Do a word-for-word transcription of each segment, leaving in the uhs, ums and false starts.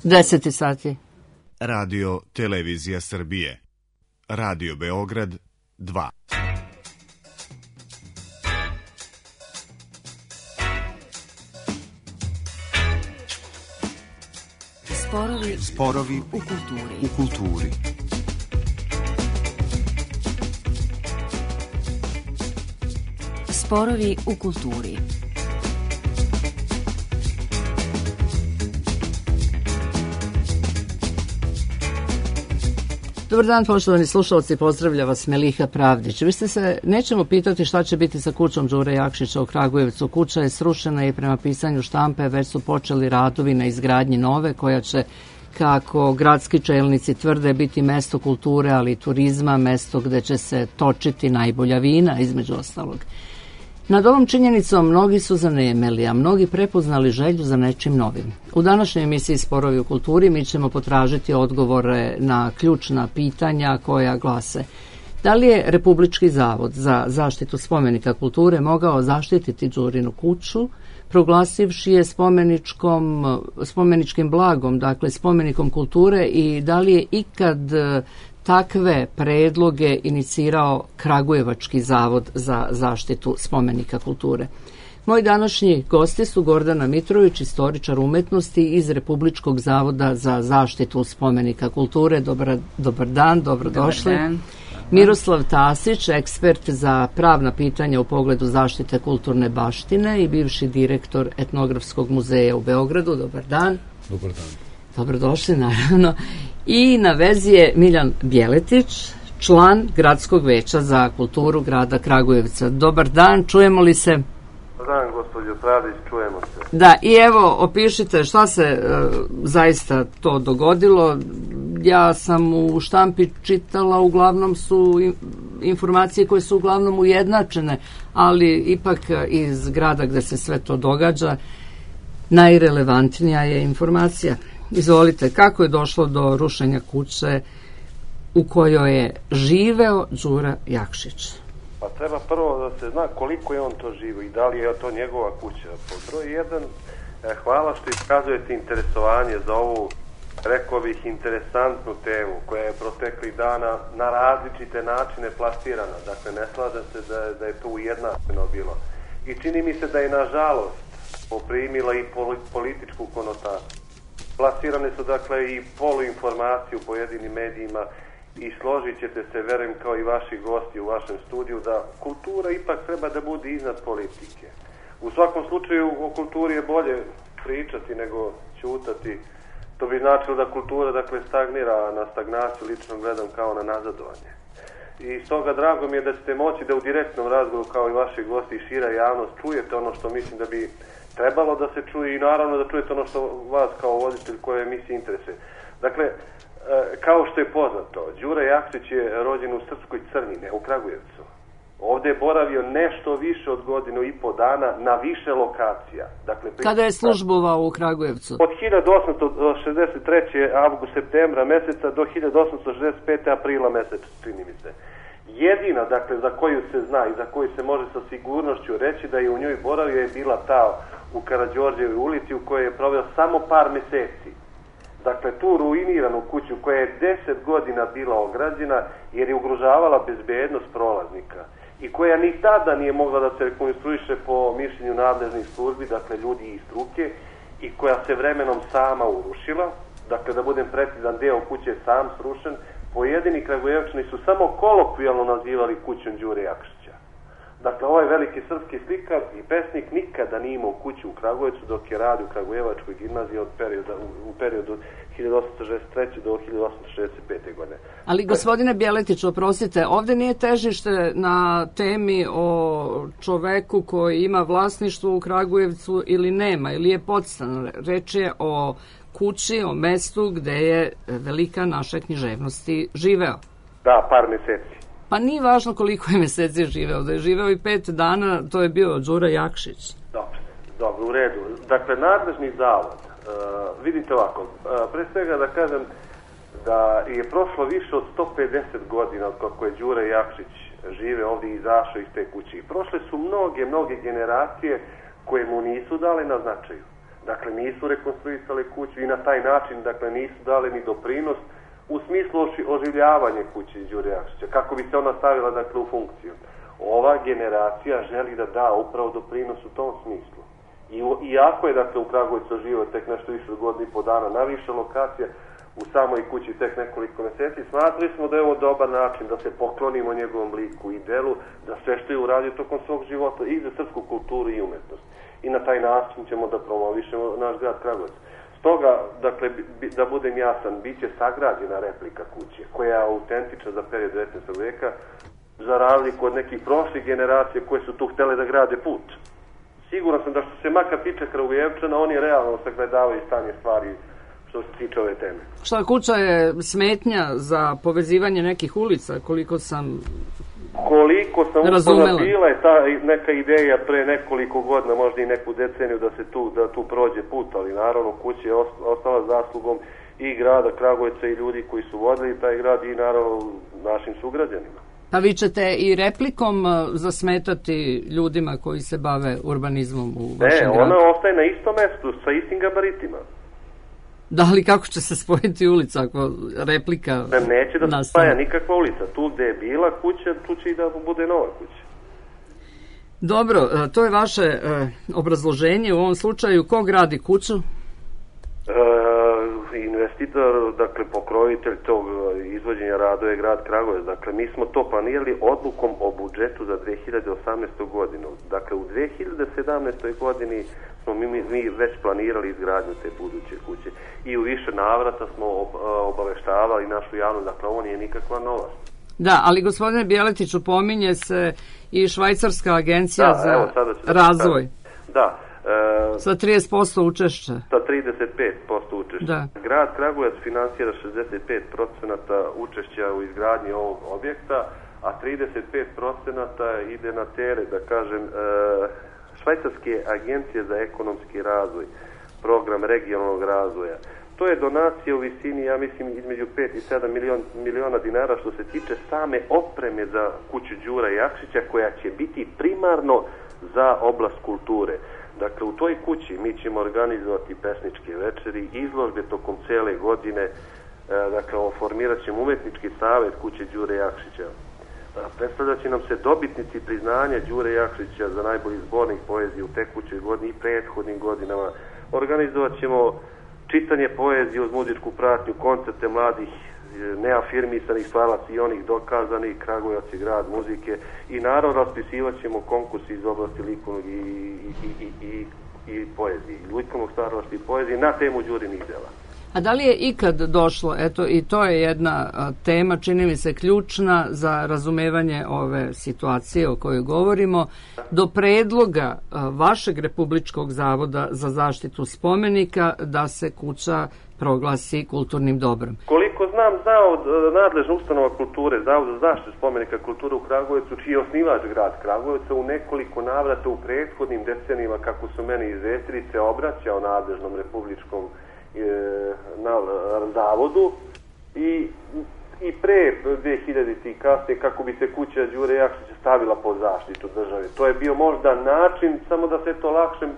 deset sati. Radio Televizija Srbije. Radio Beograd dva. Sporovi, Sporovi u kulturi. U kulturi. Sporovi u kulturi. Dobar dan, poštovani slušalci, pozdravlja vas Meliha Pravdić. Vi ste se nećemo pitati šta će biti sa kućom Đure Jakšića u Kragujevcu. Kuća je srušena i prema pisanju štampe već su počeli radovi na izgradnji nove, koja će, kako gradski čelnici tvrde, biti mesto kulture, ali i turizma, mesto gde će se točiti najbolja vina, između ostalog. Nad ovom činjenicom mnogi su zanemeli, a mnogi prepoznali želju za nečim novim. U današnjoj emisiji Sporovi u kulturi mi ćemo potražiti odgovore na ključna pitanja koja glase: da li je Republički zavod za zaštitu spomenika kulture mogao zaštititi Đurinu kuću, proglasivši je spomeničkom, spomeničkim blagom, dakle spomenikom kulture, i da li je ikad takve predloge inicirao Kragujevački zavod za zaštitu spomenika kulture? Moji današnji gosti su Gordana Mitrović, istoričar umetnosti iz Republičkog zavoda za zaštitu spomenika kulture. Dobar, dobar dan, dobrodošli. Dobar dan. Miroslav Tasić, ekspert za pravna pitanja u pogledu zaštite kulturne baštine i bivši direktor Etnografskog muzeja u Beogradu. Dobar dan. Dobar dan. Dobrodošli, naravno. I na vezi je Miljan Bjeletić, član Gradskog veća za kulturu grada Kragujevca. Dobar dan, čujemo li se? Dobar dan, gospođo Pravdić, čujemo se. Da, i evo, opišite šta se e, zaista to dogodilo. Ja sam u štampi čitala, uglavnom su informacije koje su uglavnom ujednačene, ali ipak iz grada gde se sve to događa, najrelevantnija je informacija. Izvolite, kako je došlo do rušenja kuće u kojoj je živeo Đura Jakšić? Pa treba prvo da se zna koliko je on to živio i da li je to njegova kuća. Po broj jedan, hvala što iskazujete interesovanje za ovu, rekao bih, interesantnu temu koja je proteklih dana na različite načine plasirana. Dakle, ne slažem se da, da je to ujednačeno bilo. I čini mi se da je, nažalost, poprimila i političku konotaciju. Plasirane su, dakle, i poluinformacije u pojedinim medijima i složit ćete se, verujem, kao i vaši gosti u vašem studiju, da kultura ipak treba da bude iznad politike. U svakom slučaju, o kulturi je bolje pričati nego ćutati. To bi značilo da kultura, dakle, stagnira, a na stagnaciju lično gledam kao na nazadovanje. I stoga drago mi je da ćete moći da u direktnom razgovoru, kao i vaši gosti i šira javnost, čujete ono što mislim da bi trebalo da se čuje i naravno da čujete ono što vas kao voditelj koje emisije interesuje. Dakle, kao što je poznato, Đura Jakšić je rođen u Srpskoj Crni, ne u Kragujevcu. Ovde je boravio nešto više od godinu i po dana na više lokacija. Dakle, kada je službovao u Kragujevcu? Od hiljadu osamsto šezdeset treće avgust septembra meseca do hiljadu osamsto šezdeset pete aprila meseca, čini mi se. Jedina, dakle, za koju se zna i za koju se može sa sigurnošću reći da je u njoj boravio je bila ta u Karađorđevoj ulici u kojoj je proveo samo par meseci. Dakle, tu ruiniranu kuću koja je deset godina bila ograđena jer je ugrožavala bezbednost prolaznika i koja ni tada nije mogla da se rekonstruiše po mišljenju nadležnih službi, dakle ljudi iz struke, i koja se vremenom sama urušila. Dakle, da budem precizan, deo kuće je sam srušen. Pojedini Kragujevčani su samo kolokvijalno nazivali kućom Đure Jakšića. Dakle, ovaj veliki srpski slikar i pesnik nikada nije imao kuću u Kragujevcu dok je radio u Kragujevačkoj gimnaziji od perioda, u, u periodu hiljadu osamsto šezdeset treće do hiljadu osamsto šezdeset pete godine. Ali, gospodine Bjeletić, oprostite, ovde nije težište na temi o čoveku koji ima vlasništvo u Kragujevcu ili nema, ili je podstan. Reč je o kući, o mestu gde je velika naše književnosti živeo. Da, par meseci. Pa nije važno koliko je meseci živeo, da je živeo i pet dana, to je bio Đura Jakšić. Dobro, dobro, u redu. Dakle, nadležni zavod, uh, vidite ovako, uh, pre svega da kažem da je prošlo više od sto pedeset godina od kako je Đura Jakšić žive ovdje i izašao iz te kuće. I prošle su mnoge, mnoge generacije koje mu nisu dale na značaju. Dakle, nisu rekonstruisali kuću i na taj način, dakle, nisu dali ni doprinos u smislu oživljavanja kuće Đure Jakšića, kako bi se ona stavila, dakle, u funkciju. Ova generacija želi da da upravo doprinos u tom smislu. I, iako je, dakle, u Kragujevcu živo tek nešto više od godinu i po dana na više lokacija, u samoj kući tek nekoliko mjeseci, smatrali smo da je ovo dobar način da se poklonimo njegovom liku i delu, da sve što je uradio tokom svog života i za srpsku kulturu i umetnost. I na taj način ćemo da promovišemo naš grad Kragujevac. Stoga, dakle, da budem jasan, bit će sagrađena replika kuće, koja je autentična za period devetnaestog veka, za razliku od nekih prošlih generacija koje su tu htjele da grade put. Siguran sam da što se makar tiče Kragujevčana, oni realno sagledavaju stanje stvari što se tiče ove teme. Šta, kuća je smetnja za povezivanje nekih ulica, koliko sam Koliko sam razumela. Bila je ta neka ideja pre nekoliko godina, možda i neku deceniju da se tu, da tu prođe put, ali naravno kuća je ostala zaslugom i grada Kragujevca i ljudi koji su vodili taj grad i naravno našim sugrađanima. Pa vi ćete i replikom zasmetati ljudima koji se bave urbanizmom u vašem ne, gradu? Ne, ona ostaje na istom mestu, sa istim gabaritima. Da li kako će se spojiti ulica ako replika ne, neće da nastane? Se spaja nikakva ulica. Tu gde je bila kuća, tu će i da bude nova kuća. Dobro, to je vaše e, obrazloženje. U ovom slučaju ko gradi kuću? E, investitor, dakle pokrovitelj tog izvođenja radova je grad Kragujevac. Dakle, mi smo to planirali odlukom o budžetu za dve hiljade osamnaestu. godinu. Dakle, u dve hiljade sedamnaestoj. godini smo mi, mi već planirali izgradnju te buduće kuće. I u više navrata smo obaveštavali našu javnost, dakle, ovo nije nikakva novost. Da, ali gospodine Bjeletiću, pominje se i Švajcarska agencija da, za evo, sada razvoj. Da. E, sa trideset posto učešća. Sa trideset pet posto učešća. Da. Grad Kragujevac finansira šezdeset pet procenata učešća u izgradnji ovog objekta, a trideset pet procenata ide na teret, da kažem, e, Švajcarske agencije za ekonomski razvoj, program regionalnog razvoja. To je donacija u visini, ja mislim, između pet i sedam milion, miliona dinara što se tiče same opreme za kuću Đura Jakšića, koja će biti primarno za oblast kulture. Dakle, u toj kući mi ćemo organizovati pesničke večeri, izložbe tokom cele godine, e, dakle, formirat ćemo umetnički savjet kuće Đure Jakšića. Predstavljat će nam se dobitnici priznanja Đure Jakšića za najbolji zbornik poezije u tekućoj godini i prethodnim godinama. Organizovat ćemo čitanje poezije uz muzičku pratnju, koncerte mladih neafirmisanih stvaraca i onih dokazanih, Kragujevac je grad muzike, i naravno raspisivat ćemo konkurs iz oblasti likovnog i, i, i, i, i poezije, likovnog stvaralaštva i poezije na temu Đurinih dela. A da li je ikad došlo, eto i to je jedna a, tema, čini mi se ključna za razumevanje ove situacije o kojoj govorimo, do predloga a, vašeg Republičkog zavoda za zaštitu spomenika da se kuća proglasi kulturnim dobrom? Koliko znam, Zavod, nadležna ustanova kulture, Zavod za zaštitu spomenika kulture u Kragujevcu, čiji je osnivač grad Kragujevca, u nekoliko navrata u prethodnim decenijima, kako su meni izvestili, se obraćao nadležnom republičkom na zavodu i, i pre dve hiljadite i kasnije kako bi se kuća Đure Jakšića stavila pod zaštitu države. To je bio možda način samo da se to lakšim,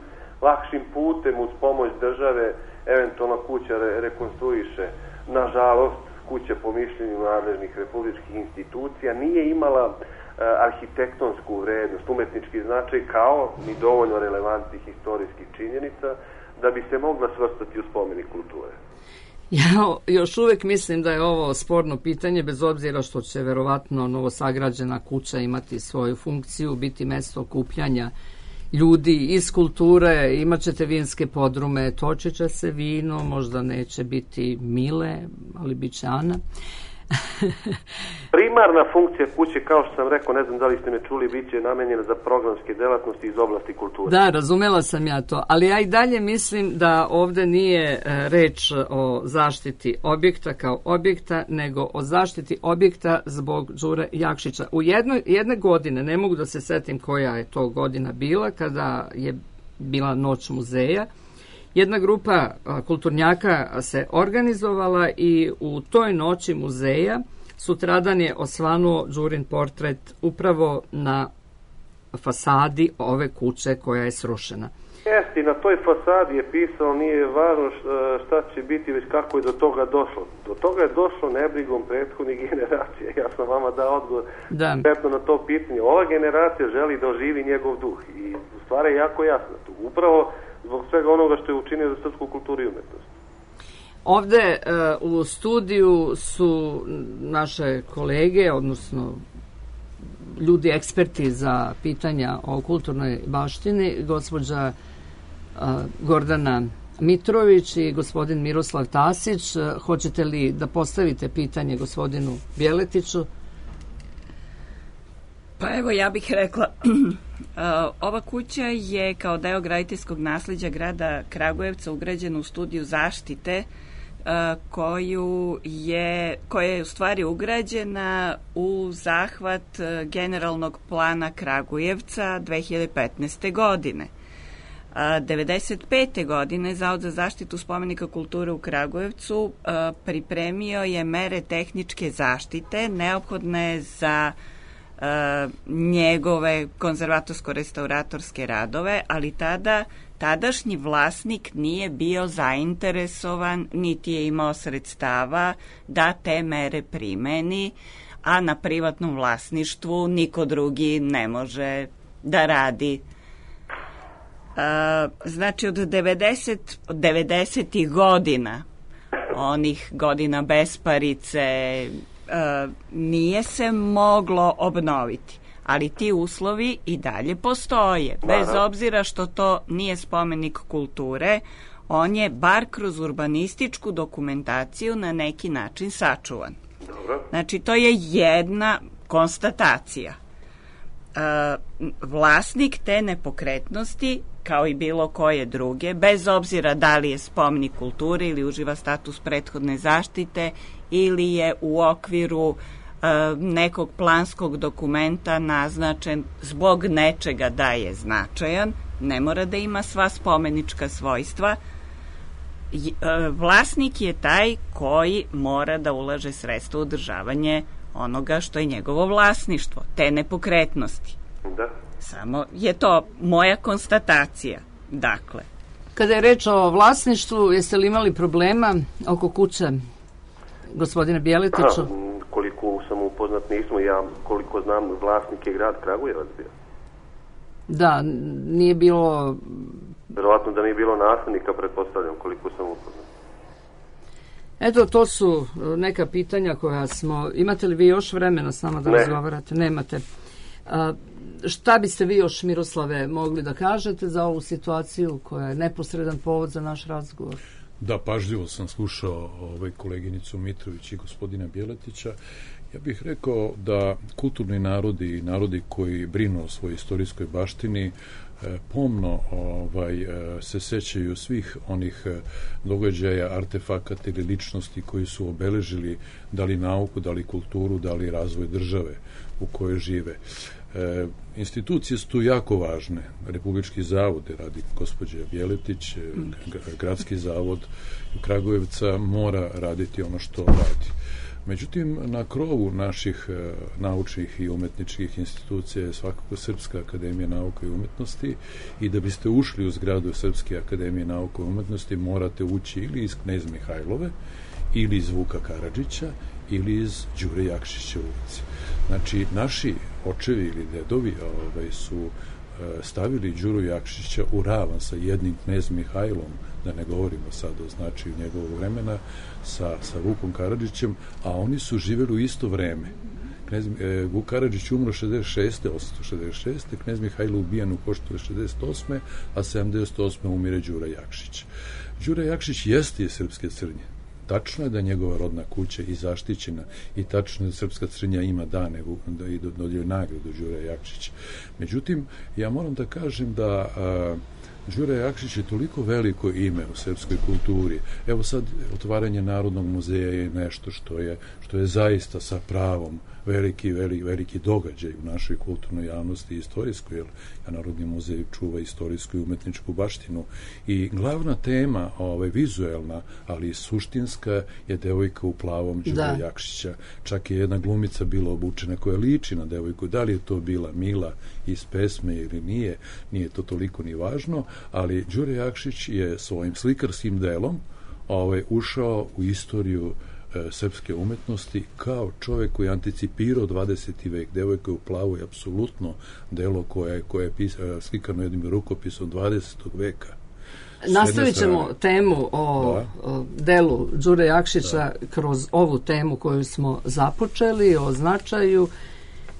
lakšim putem uz pomoć države eventualno kuća re, rekonstruiše. Nažalost, kuća po mišljenju nadležnih republičkih institucija nije imala e, arhitektonsku vrednost, umetnički značaj, kao ni dovoljno relevantnih historijskih činjenica da bi se mogla svrstati u spomenik kulture. Ja još uvijek mislim da je ovo sporno pitanje, bez obzira što će verovatno novosagrađena kuća imati svoju funkciju, biti mesto okupljanja ljudi iz kulture, imat ćete vinske podrume, točit će se vino, možda neće biti Mile, ali bit će Ana. Primarna funkcija kuće, kao što sam rekao, ne znam da li ste me čuli, bit će namenjena za programske delatnosti iz oblasti kulture. Da, razumela sam ja to, ali ja i dalje mislim da ovdje nije reč o zaštiti objekta kao objekta, nego o zaštiti objekta zbog Đure Jakšića. U jednoj, jedne godine, ne mogu da se setim koja je to godina bila, kada je bila Noć muzeja, jedna grupa kulturnjaka se organizovala i u toj noći muzeja sutradan je osvanuo Đurin portret upravo na fasadi ove kuće koja je srušena. Jeste, na toj fasadi je pisalo, nije važno šta će biti, već kako je do toga došlo. Do toga je došlo nebrigom prethodnih generacija. Ja sam vama dao odgovor konkretno na to pitanje. Ova generacija želi da oživi njegov duh i stvar je jako jasna tu. Upravo zbog svega onoga što je učinio za srpsku kulturu i umetnost. Ovde uh, u studiju su naše kolege, odnosno ljudi eksperti za pitanja o kulturnoj baštini, gospođa uh, Gordana Mitrović i gospodin Miroslav Tasić. Uh, hoćete li da postavite pitanje gospodinu Bjeletiću? Pa evo, ja bih rekla, ova kuća je kao deo graditeljskog nasleđa grada Kragujevca ugrađena u studiju zaštite koju je, koja je u stvari ugrađena u zahvat generalnog plana Kragujevca dve hiljade petnaeste. godine. devedeset pete. godine Zavod za zaštitu spomenika kulture u Kragujevcu pripremio je mere tehničke zaštite neophodne za njegove konzervatorsko-restauratorske radove, ali tada tadašnji vlasnik nije bio zainteresovan, niti je imao sredstava da te mere primeni, a na privatnom vlasništvu niko drugi ne može da radi. A, znači od devedeset, devedesetih godina, onih godina besparice, a, nije se moglo obnoviti. Ali ti uslovi i dalje postoje. Bez obzira što to nije spomenik kulture, on je bar kroz urbanističku dokumentaciju na neki način sačuvan. Dobro. Znači, to je jedna konstatacija. E, vlasnik te nepokretnosti, kao i bilo koje druge, bez obzira da li je spomenik kulture ili uživa status prethodne zaštite ili je u okviru nekog planskog dokumenta naznačen zbog nečega da je značajan, ne mora da ima sva spomenička svojstva. Vlasnik je taj koji mora da ulaže sredstva u održavanje onoga što je njegovo vlasništvo, te nepokretnosti. Da. Samo je to moja konstatacija. Dakle. Kada je reč o vlasništvu, jeste li imali problema oko kuće gospodine Bjeletiću? Ha, koliko sam upoznat nismo, ja koliko znam vlasnik je grad Kragujevac bio. Da, nije bilo... Verovatno da nije bilo naslednika, pretpostavljam, koliko sam upoznat. Eto, to su neka pitanja koja smo... Imate li vi još vremena s nama da ne. razgovarate? Nemate. A, šta biste vi još, Miroslave, mogli da kažete za ovu situaciju koja je neposredan povod za naš razgovor? Da, pažljivo sam slušao ovaj koleginicu Mitrović i gospodina Bjeletića. Ja bih rekao da kulturni narodi i narodi koji brinu o svojoj istorijskoj baštini pomno ovaj, se sećaju svih onih događaja, artefakata ili ličnosti koji su obeležili da li nauku, da li kulturu, da li razvoj države u kojoj žive. E, institucije su tu jako važne. Republički zavod, radi gospođa Bjeletić, gradski zavod Kragujevca mora raditi ono što radi. Međutim, na krovu naših e, naučnih i umetničkih institucija je svakako Srpska akademija nauka i umetnosti i da biste ušli u zgradu Srpske akademije nauka i umetnosti morate ući ili iz Knez Mihajlove, ili iz Vuka Karadžića, ili iz Đure Jakšića ulici. Znači, naši očevi ili dedovi ovaj, su e, stavili Đuru Jakšića u ravan sa jednim Knez Mihajlom, da ne govorimo sad o značaju njegovog vremena, sa, sa Vukom Karadžićem, a oni su živjeli u isto vreme. Knez, e, Vuk Karadžić umro šezdeset šeste. osamsto šezdeset šeste. Knez Mihajlo ubijen u Koštu šezdeset osme. a sedamdeset osme. umire Đura Jakšić. Đura Jakšić jeste je srpske Crnje. Tačno je da je njegova rodna kuća i zaštićena i tačno je da Srpska Crnja ima dane da i dodjeljuje nagradu Đura Jakšić. Međutim, ja moram da kažem da a, Đura Jakšić je toliko veliko ime u srpskoj kulturi. Evo sad, otvaranje Narodnog muzeja je nešto što je, što je zaista sa pravom veliki, veliki, veliki događaj u našoj kulturnoj javnosti i istorijskoj, jer Narodni muzej čuva istorijsku i umetničku baštinu. I glavna tema, ovaj, vizuelna, ali i suštinska, je devojka u plavom Đura Jakšića. Čak je jedna glumica bila obučena koja liči na devojku. Da li je to bila Mila iz pesme ili nije, nije to toliko ni važno, ali Đure Jakšić je svojim slikarskim delom ovaj, ušao u istoriju e, srpske umetnosti kao čovjek koji je anticipirao dvadeseti vek. Devojka u plavu je apsolutno delo koje, koje je pis, e, slikano jednim rukopisom dvadesetog veka. Nastavit ćemo temu o, o delu Đure Jakšića da. kroz ovu temu koju smo započeli, o značaju.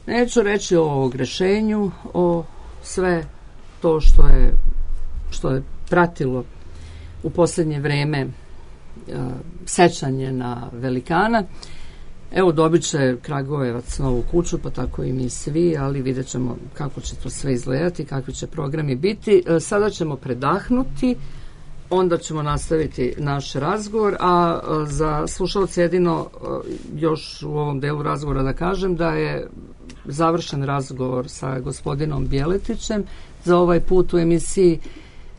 Neću reći o ogrešenju, o sve to što je, što je pratilo u posljednje vreme uh, sećanje na velikana. Evo, dobit će Kragujevac novu kuću, pa tako i mi svi, ali vidjet ćemo kako će to sve izgledati, kakvi će programi biti. Uh, sada ćemo predahnuti, onda ćemo nastaviti naš razgovor, a uh, za slušalce jedino uh, još u ovom delu razgovora da kažem da je završen razgovor sa gospodinom Bjeletićem za ovaj put u emisiji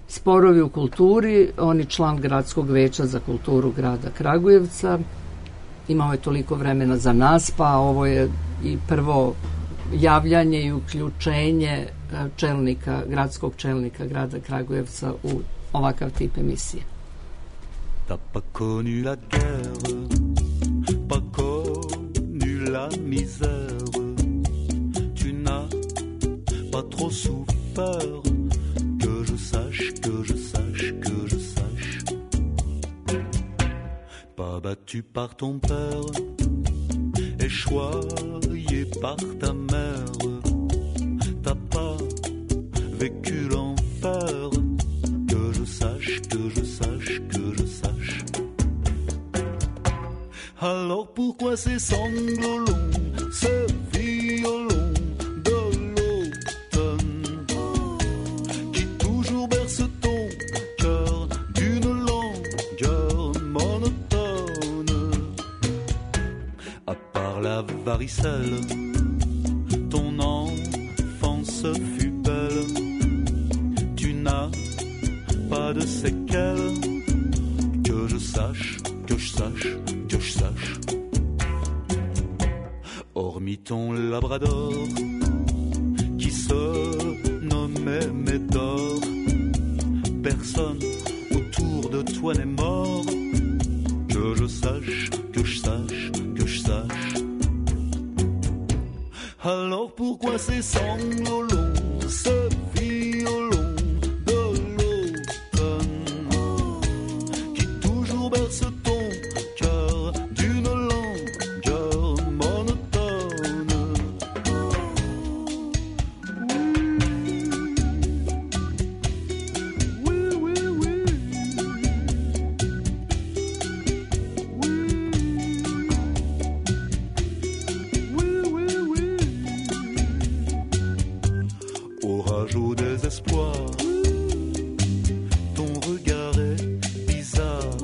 Sporovi u kulturi. On je član Gradskog veća za kulturu grada Kragujevca. Imao je toliko vremena za nas, pa ovo je i prvo javljanje i uključenje čelnika, gradskog čelnika grada Kragujevca u ovakav tip emisije. T'as pas connu la guerre, pas connu la misère, tu n'as pas trop souffert, que je sache, que je sache, que je sache. Pas battu par ton père, échoyé par ta mère, t'as pas vécu l'enfer, que je sache, que je sache, que je sache. Alors pourquoi ces sanglots longs, ce violon de l'automne qui toujours berce ton cœur d'une longueur monotone? À part la varicelle, ton enfance fut belle, tu n'as pas de séquelles, que je sache, que je sache, que je sache. Hormis ton labrador qui se nommait Médor, personne autour de toi n'est mort, que je sache, que je sache, que je sache. Alors pourquoi ces sanglots longs, ce violon de l'automne qui toujours berce ton cœur d'une longueur monotone? Oui, oui, oui. Oui, oui, oui. Orage au désespoir, ton regard est bizarre.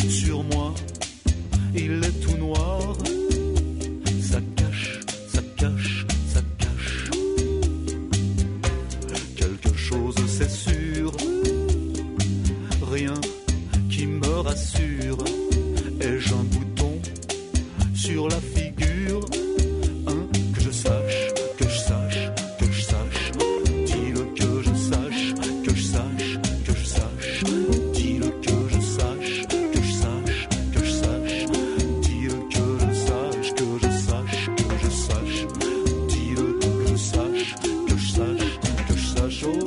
Sur moi, il est tout noir. Ça cache, ça cache, ça cache quelque chose, c'est sûr. Rien qui me rassure. Ai-je un bouton sur la figure? Hein, que je sache, que je sache, que je sache. Dis-le que je sache, que je sache, que je sache. Dis-le que je sache, que je sache, que je sache. Dis-le que je sache, que je sache, que je sache. Dis-le que je sache, que je sache, que je sache. Oh,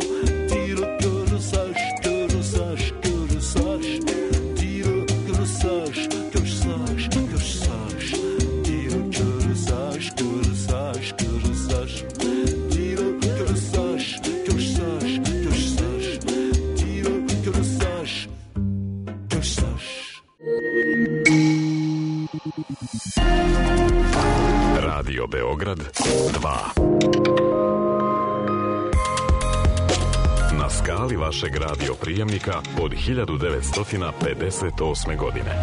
dis-le que je sache, que je sache, que je sache. Dis-le que je sache, que je sache, que je sache. Dis-le que je sache, que je sache, que je sache. Dis-le que je sache, que je sache, que je sache. Dis-le que je sache, que je sache. Radio Beograd dva. Na skali vašeg radio prijemnika od hiljadu devetsto pedeset osme godine.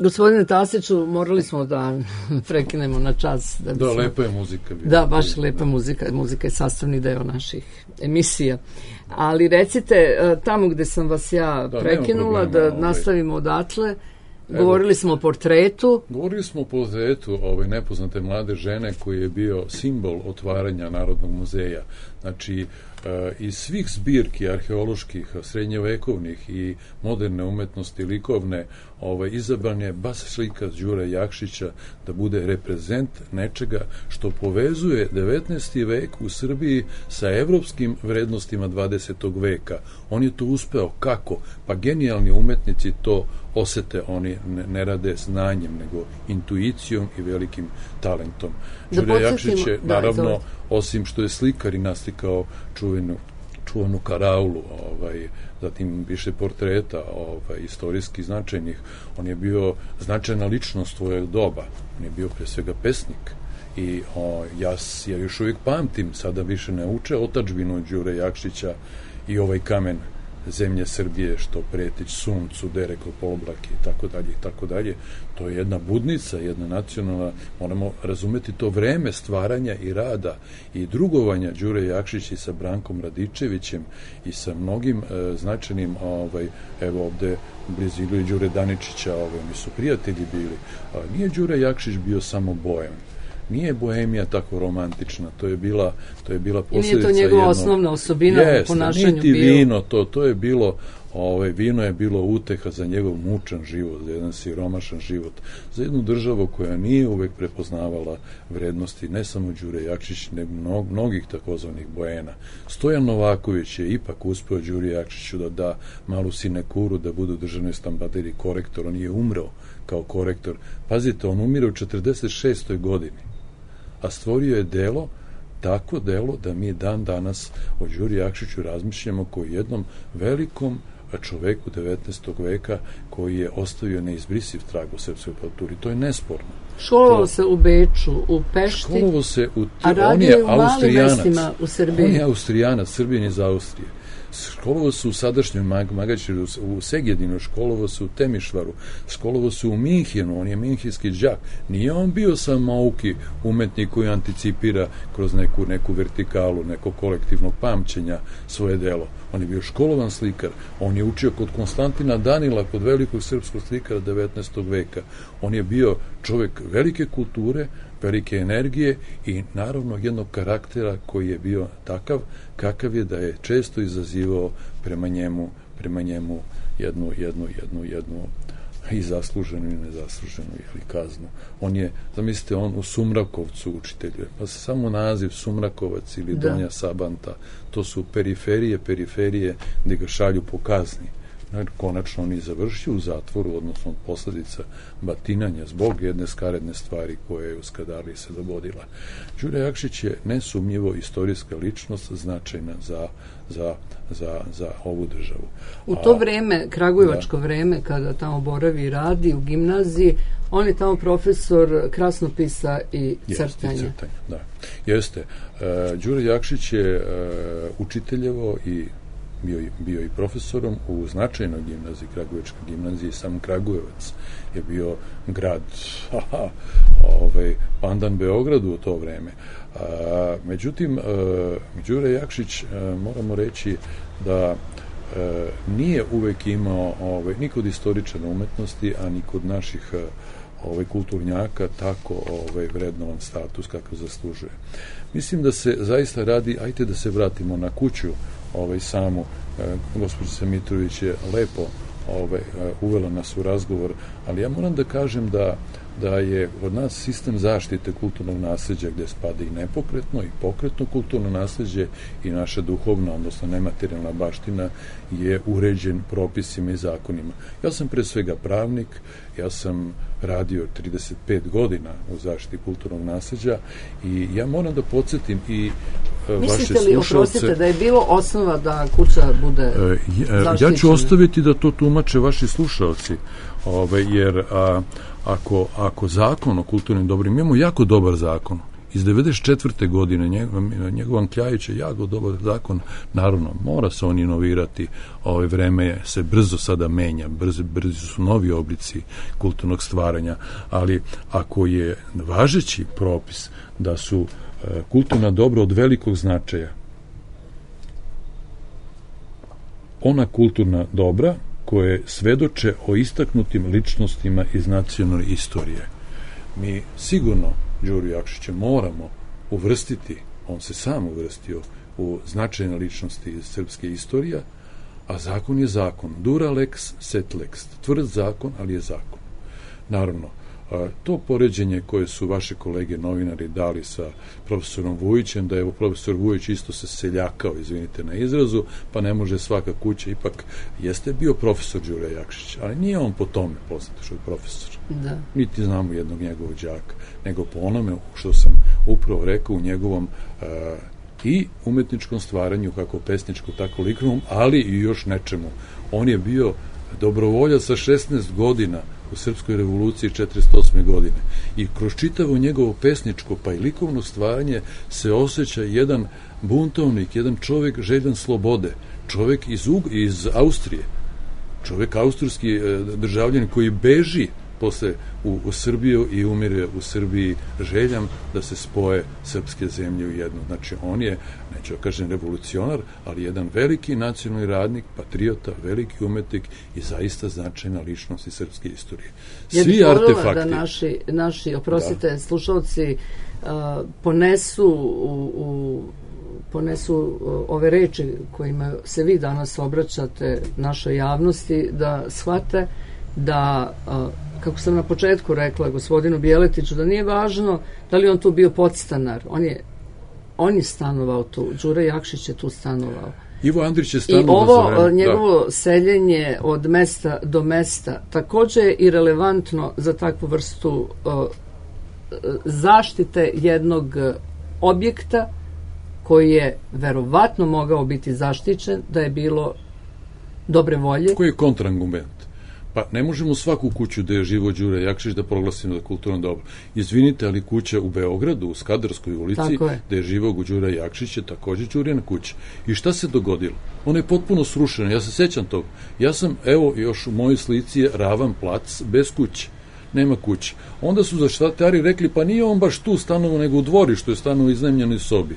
Gospodine Tasiću, morali smo da prekinemo na čas. Da, Da, bismo... lepa je muzika. Da, baš lepa muzika. Muzika je sastavni deo naših emisija. Ali recite, tamo gde sam vas ja Da, prekinula, nema problema, da ovaj. nastavimo odatle, Govorili smo o portretu. Govorili smo o portretu ove nepoznate mlade žene koji je bio simbol otvaranja Narodnog muzeja. Znači, iz svih zbirki arheoloških, srednjevekovnih i moderne umetnosti likovne, ovaj, izabran je baš slika Đure Jakšića da bude reprezent nečega što povezuje devetnaesti vek u Srbiji sa evropskim vrednostima dvadesetog veka. On je to uspeo. Kako? Pa genijalni umetnici to osete, oni ne, ne rade znanjem, nego intuicijom i velikim talentom. Da Đure Jakšić je, da, naravno, izvolite. osim što je slikar i naslikao čuvenu, čuvenu karaulu, ovaj, zatim više portreta ovaj, istorijski značajnih, on je bio značajna ličnost svojeg doba, on je bio pre svega pesnik. I o, ja, ja još uvijek pamtim, sada više ne uče otadžbinu Đure Jakšića i ovaj kamen zemlje Srbije što pretić suncu, dereko pooblake i tako dalje i tako dalje. To je jedna budnica, jedna nacionalna, moramo razumeti to vreme stvaranja i rada i drugovanja Đure Jakšića i sa Brankom Radičevićem i sa mnogim e, značajnim, ovaj, evo ovde blizu i Đure Daničića, ovaj, mi su prijatelji bili. A, nije Đure Jakšić bio samo bojem. Nije bohemija tako romantična, to je bila, to je bila posljedica. I nije to njegova jedno, osnovna osobina jest, u ponašanju niti bio. vino, to, to je bilo, ovaj, vino je bilo uteha za njegov mučan život, za jedan siromašan život, za jednu državu koja nije uvek prepoznavala vrednosti, ne samo Đure Jakšić, nego mnog, mnogih takozvanih bojena. Stojan Novaković je ipak uspeo Đuri Jakšiću da da malu sinekuru, da bude u državnoj stambaderiji korektor, on je umreo kao korektor. Pazite, on umire u četrdeset šestoj godini. A stvorio je delo, tako delo da mi dan danas o Đuri Jakšiću razmišljamo kao jednom velikom čoveku devetnaestog veka koji je ostavio neizbrisiv trag u srpskoj kulturi. To je nesporno. Školovao to... se u Beču, u Pešti, Školovao se u... a radio je u malim mestima u Srbiji. On je Austrijanac, Srbin iz Austrije. Školovao se u sadašnjoj Magaćeru, u Segedinu, školovao se u Temišvaru, školovao se u Minhenu, on je minhenski đak. Nije on bio sam mauki umetnik koji anticipira kroz neku, neku vertikalu, neko kolektivnog pamćenja svoje delo. On je bio školovan slikar, on je učio kod Konstantina Danila, kod velikog srpskog slikara devetnaestog veka. On je bio čovjek velike kulture, velike energije i naravno jednog karaktera koji je bio takav kakav je da je često izazivao prema njemu, prema njemu jednu, jednu, jednu, jednu i zasluženu i nezasluženu ili kaznu. On je, zamislite, on u Sumrakovcu učiteljuje, pa samo naziv Sumrakovac ili da. Donja Sabanta, to su periferije, periferije gde ga šalju po kazni. Konačno on je završio u zatvoru, odnosno od posljedica batinanja zbog jedne skaredne stvari koje je u Skadarliji se dogodila. Đure Jakšić je nesumnjivo istorijska ličnost značajna za, za, za, za ovu državu. U to vreme, kragujevačko da. vreme, kada tamo boravi i radi u gimnaziji, on je tamo profesor krasnopisa i crtanja. Jeste, crtanja, da. Jeste. Uh, Đure Jakšić je uh, učiteljevo i Bio, bio i profesorom u značajnoj gimnaziji, Kragujevačka gimnazija, sam Kragujevac je bio grad aha, ovaj, pandan Beogradu u to vreme. A, međutim, a, Đure Jakšić, a, moramo reći da a, nije uvek imao, ovaj, ni kod istoričara umetnosti, a ni kod naših a, ovaj, kulturnjaka tako ovaj, vrednovan status kako zaslužuje. Mislim da se zaista radi, ajte da se vratimo na kuću ovaj, samu, e, gospođica Mitrović je lepo ovaj, uvela nas u razgovor, ali ja moram da kažem da, da je od nas sistem zaštite kulturnog nasljeđa gde spada i nepokretno i pokretno kulturno nasljeđe i naša duhovna, odnosno nematerijalna baština je uređen propisima i zakonima. Ja sam pre svega pravnik, ja sam radio trideset pet godina u zaštiti kulturnog nasljeđa i ja moram da podsjetim i uh, vaše slušalce. Mislite li, oprostite, da je bilo osnova da kuća bude uh, zaštićena? Ja ću ostaviti da to tumače vaši slušalci, ove, jer a, ako, ako zakon o kulturnim dobrima, imamo jako dobar zakon, iz devedeset četvrte godine njegov, njegov Kljajić je jako dobar zakon, naravno mora se on inovirati, ove vreme se brzo sada menja, brzo, brzo su novi oblici kulturnog stvaranja, ali ako je važeći propis da su e, kulturna dobra od velikog značaja, ona kulturna dobra koje svedoče o istaknutim ličnostima iz nacionalne istorije. Mi sigurno Đuru Jakšića moramo uvrstiti, on se sam uvrstio u značajne ličnosti iz srpske istorije, a zakon je zakon. Dura lex, set lex. Tvrd zakon, ali je zakon. Naravno, to poređenje koje su vaše kolege novinari dali sa profesorom Vujićem, da je profesor Vujić isto se seljakao, izvinite na izrazu, pa ne može svaka kuća, ipak jeste bio profesor Đure Jakšić, ali nije on po tome poznat što je profesor. Da. Niti znamo jednog njegovog đaka, nego po onome što sam upravo rekao u njegovom uh, i umetničkom stvaranju, kako pesničkom, tako likovnom, ali i još nečemu. On je bio dobrovoljac sa šesnaest godina u Srpskoj revoluciji četrdeset osme godine. I kroz čitavo njegovo pesničko pa i likovno stvaranje se osjeća jedan buntovnik, jedan čovjek željan slobode, čovjek iz, Ug iz Austrije, čovjek austrijski e, državljan koji beži posle u, u Srbiju i umire u Srbiji željam da se spoje srpske zemlje u jednu. Znači, on je, neću da kažem revolucionar, ali jedan veliki nacionalni radnik, patriota, veliki umetnik i zaista značajna ličnost iz srpske istorije. Svi ja artefakti... da naši, naši oprostite, da. slušalci uh, ponesu u, u ponesu uh, ove reči kojima se vi danas obraćate našoj javnosti, da shvate da, kako sam na početku rekla gospodinu Bjeletiću, da nije važno da li on tu bio podstanar, on je, on je stanovao tu, Đure Jakšić je tu stanovao. Ivo Andrić je stanovao. I ovo njegovo da. seljenje od mesta do mesta također je i relevantno za takvu vrstu uh, zaštite jednog objekta koji je verovatno mogao biti zaštićen da je bilo dobre volje. Koji je kontraargument? Pa ne možemo svaku kuću da je živo Đure Jakšić da proglasimo za kulturno dobro. Izvinite, ali kuća u Beogradu, u Skadarskoj ulici, da je živo Đure Jakšić je također Đurina kuća. I šta se dogodilo? Ona je potpuno srušena, ja se sećam toga. Ja sam, evo, još u mojoj slici je ravan plac bez kuće. Nema kuće. Onda su zaštitari rekli, pa nije on baš tu stanovo, nego u dvorištu je stanovo u iznajmljenoj sobi.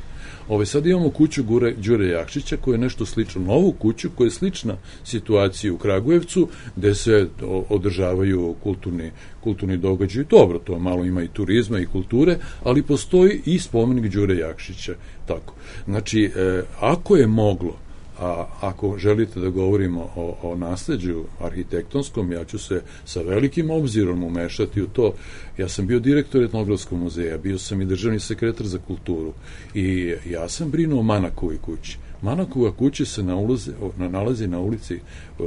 Ove, sad imamo kuću Gure, Đure Jakšića koja je nešto slično, novu kuću koja je slična situaciji u Kragujevcu gde se održavaju kulturni, kulturni događaji. Dobro, to malo ima i turizma i kulture, ali postoji i spomenik Đure Jakšića. Tako. Znači, e, ako je moglo, a ako želite da govorimo o, o nasleđu arhitektonskom, ja ću se sa velikim obzirom umešati u to. Ja sam bio direktor Etnografskog muzeja, bio sam i državni sekretar za kulturu i ja sam brinuo o Manakovoj kući. Manakova kuća se na ulaze, na, nalazi na ulici,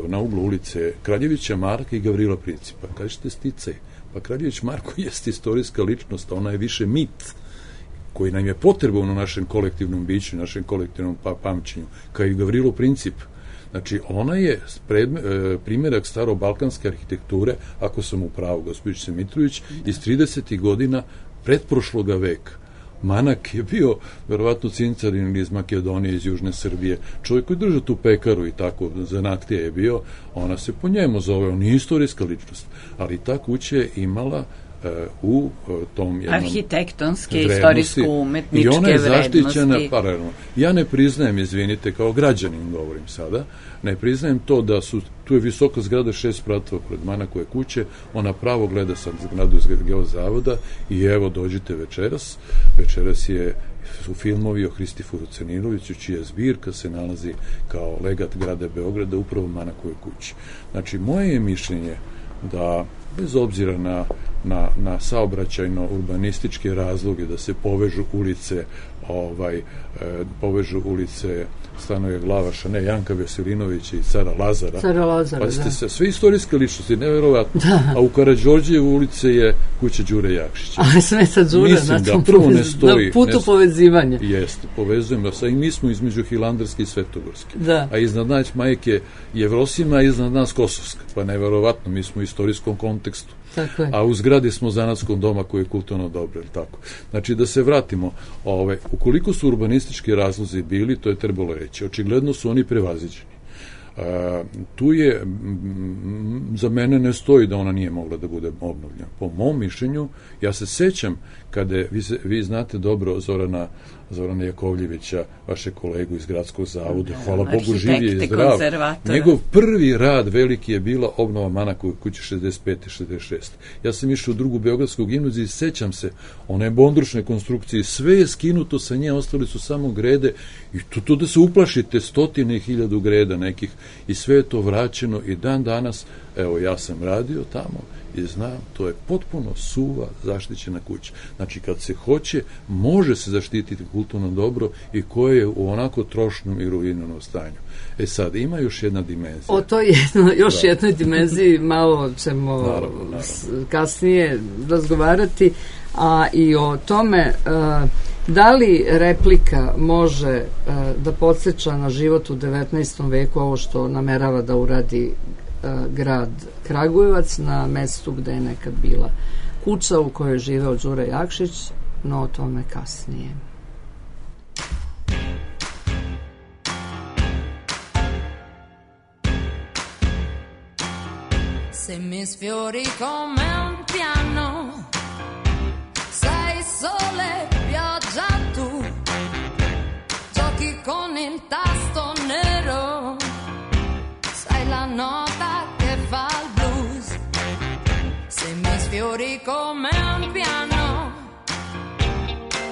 na uglu ulice Kraljevića Marka i Gavrila Principa. Kažete sticaj, pa Kraljević Marko jeste istorijska ličnost, ona je više mit koji nam je potreban u našem kolektivnom biću, našem kolektivnom pa pamćenju, kao i Gavrilo Princip. Znači, ona je predme, e, primjerak starobalkanske arhitekture, ako sam u pravu, gospođice Mitrović, iz tridesetih godina pretprošloga veka. Manak je bio, verovatno, cincarin iz Makedonije, iz Južne Srbije, čovjek koji drža tu pekaru i tako, zanatlija je bio, ona se po njemu zove, on je istorijska ličnost, ali ta kuća je imala u tom jednom arhitektonske, istorijsko-umetničke vrednosti. I ona je zaštićena paralelno. Ja ne priznajem, izvinite, kao građanin govorim sada, ne priznajem to da su, tu je visoka zgrada šest spratova pred Manakove kuće, ona pravo gleda sad zgradu iz Geozavoda i evo dođite večeras. Večeras je su filmovi o Hristiforu Ceniroviću, čija zbirka se nalazi kao legat grada Beograda upravo u Manakove kući. Znači, moje je mišljenje da bez obzira na, na, na saobraćajno-urbanističke razloge da se povežu ulice ovaj, e, povežu ulice Stanoje Glavaša, ne, Janka Veselinovića i Cara Lazara. Cara Lazara, pa da. Se, sve istorijske ličnosti, neverovatno. Da. A u Karađorđevu ulice je kuća Đure Jakšića. Ali sve sa Đure, mislim na, da prvo ne stoji. Na putu ne, povezivanja. Jeste, povezujemo se i mi smo između Hilandarske i Svetogorske. Da. A iznad nas majke Jevrosima, a iznad nas Kosovska. Pa neverovatno, mi smo u istorijskom kontekstu. Tako je. A u zgradi smo zanatskom doma koji je kulturno dobro, ili tako. Znači, da se vratimo, ove, ukoliko su urbanistički razlozi bili, to je trebalo reći. Očigledno su oni prevaziđeni. A, tu je, m, za mene ne stoji da ona nije mogla da bude obnovljena. Po mom mišljenju, ja se sećam kada je, vi, se, vi znate dobro Zorana, Zorana Jakovljevića, vaše kolegu iz Gradskog zavoda, hvala Bogu živ je i zdrav. Njegov prvi rad veliki je bila obnova Manakove kuće šezdeset pete šezdeset šeste Ja sam išao u drugu Beogradsku gimnaziju i sećam se one bondrušne konstrukcije, sve je skinuto sa nje, ostali su samo grede i tu, tu da se uplašite stotine i hiljadu greda nekih i sve je to vraćeno i dan danas, evo ja sam radio tamo i znam, to je potpuno suva zaštićena kuća. Znači, kad se hoće, može se zaštititi kulturno dobro i koje je u onako trošnom i ruiniranom stanju. E sad, ima još jedna dimenzija. O toj jedno, još da. jednoj dimenziji malo ćemo naravno, naravno. kasnije razgovarati, a i o tome uh, da li replika može uh, da podsjeća na život u devetnaestom veku, ovo što namerava da uradi grad Kragujevac na mestu gde je nekad bila kuća u kojoj je živeo Đure Jakšić, no o tome kasnije. Se mi sfiori come un piano, sei sole, pioggia tu, giochi con il tasto nero, sai la nota che fa il blues. Se mi sfiori come un piano,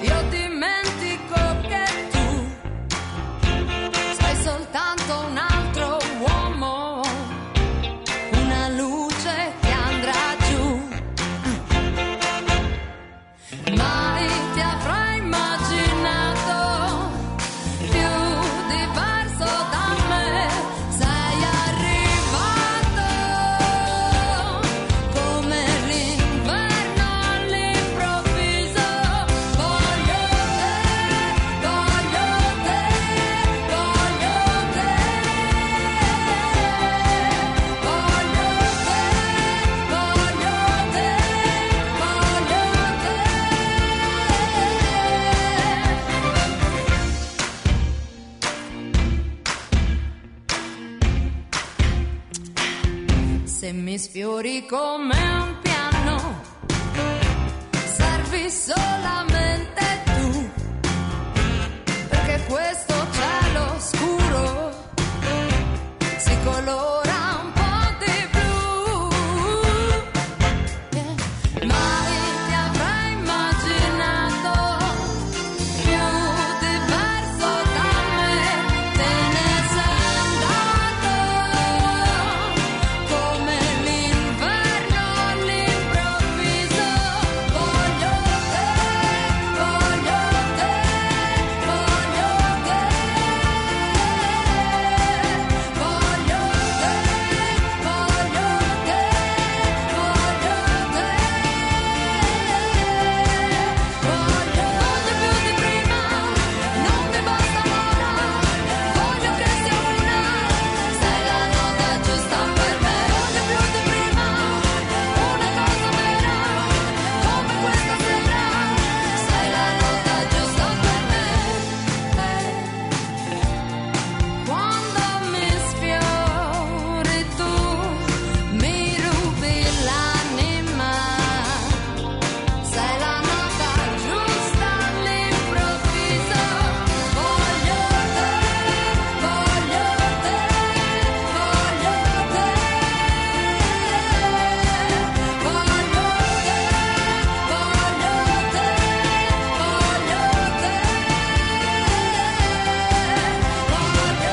io dimentico che tu sei soltanto un altro uomo, una luce che andrà giù. Mai ti avrai immaginato più diverso da me. Se mi sfiori come un piano, servi solamente tu, perché questo cielo scuro si colora un po' di blu. Yeah. Mai ti avrai immaginato più diverso da me, te ne sei andato come l'inverno all'improvviso. Voglio te, voglio te, voglio te, voglio te, voglio te, voglio te. Voglio, voglio più di prima, non mi basta ora, voglio che sia una, sei la nota giusta per me. Voglio più di prima, una cosa vera, come questa sera, sei la nota giusta per me. Quando mi sfiori tu, mi rubi l'anima, sei la nota giusta all'improvviso. Voglio te, voglio te, voglio te, voglio te, voglio te, voglio te,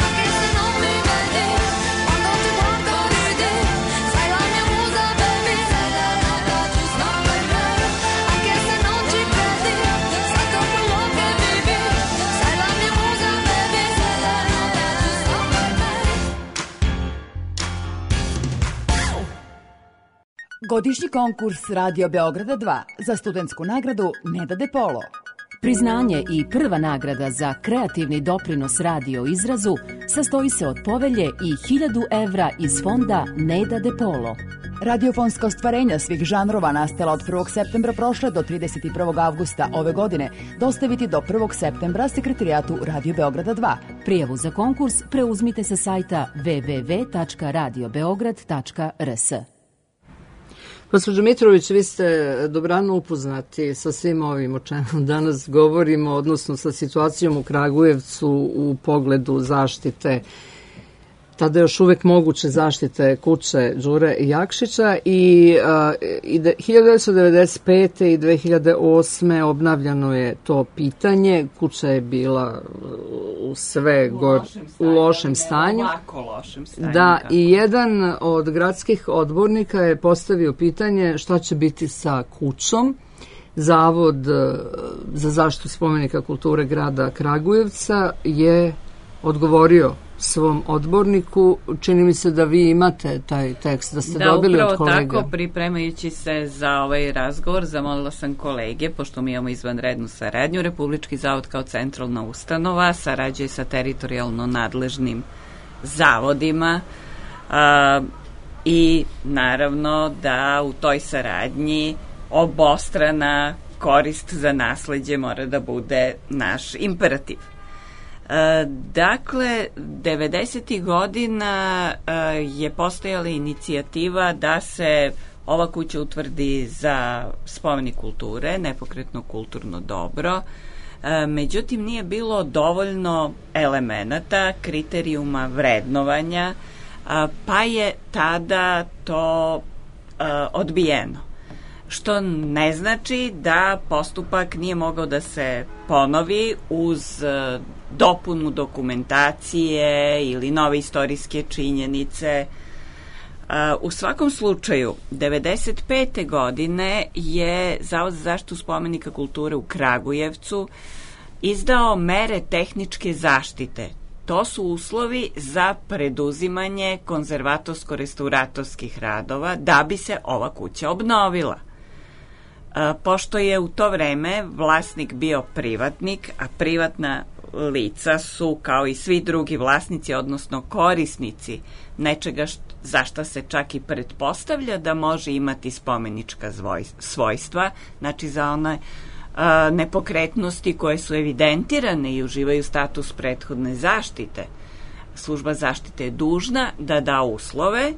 anche se non mi vedi, quando ti guardo ridi, sei la mia musa baby, sei la nota giusta per me, anche se non ci credi, sento quello che vivi, sei la mia musa baby, sei la nota giusta per me. Godišnji konkurs Radio Beograda dva za studentsku nagradu Neda De Polo. Priznanje i prva nagrada za kreativni doprinos radio izrazu sastoji se od povelje i hiljadu evra iz fonda Neda De Polo. Radiofonska ostvarenja svih žanrova nastala od prvog septembra prošle do trideset prvog avgusta ove godine dostaviti do prvog septembra sekretarijatu Radio Beograda dva. Prijavu za konkurs preuzmite sa sajta w w w tačka radio beograd tačka r s. Gospođo Mitrović, vi ste dobrano upoznati sa svim ovim o čemu danas govorimo, odnosno sa situacijom u Kragujevcu u pogledu zaštite, tada još uvek moguće zaštite kuće Đure Jakšića i, a, i de, hiljadu devetsto devedeset pete. i dve hiljade osme. obnavljano je to pitanje. Kuća je bila u sve u gor, lošem stanju, u lošem stanju. Ovako lošem stanju. Da, kako. i jedan od gradskih odbornika je postavio pitanje šta će biti sa kućom. Zavod e, za zaštitu spomenika kulture grada Kragujevca je odgovorio svom odborniku. Čini mi se da vi imate taj tekst, da ste da, dobili od kolega. Da, upravo tako, pripremajući se za ovaj razgovor, zamolila sam kolege, pošto mi imamo izvanrednu saradnju, Republički zavod kao centralna ustanova sarađuje sa teritorijalno nadležnim zavodima a, i naravno da u toj saradnji obostrana korist za nasleđe mora da bude naš imperativ. E, dakle, devedesetih godina e, je postojala inicijativa da se ova kuća utvrdi za spomenik kulture, nepokretno kulturno dobro. E, međutim, nije bilo dovoljno elemenata, kriterijuma vrednovanja, a, pa je tada to a, odbijeno. Što ne znači da postupak nije mogao da se ponovi uz a, dopunu dokumentacije ili nove istorijske činjenice. A, u svakom slučaju, devedeset pete. godine je Zavod za zaštitu spomenika kulture u Kragujevcu izdao mere tehničke zaštite. To su uslovi za preduzimanje konzervatorsko-restauratorskih radova da bi se ova kuća obnovila. A, pošto je u to vreme vlasnik bio privatnik, a privatna lica su kao i svi drugi vlasnici, odnosno korisnici nečega št, za šta se čak i pretpostavlja da može imati spomenička svojstva, znači za one a, nepokretnosti koje su evidentirane i uživaju status prethodne zaštite. Služba zaštite je dužna da da uslove,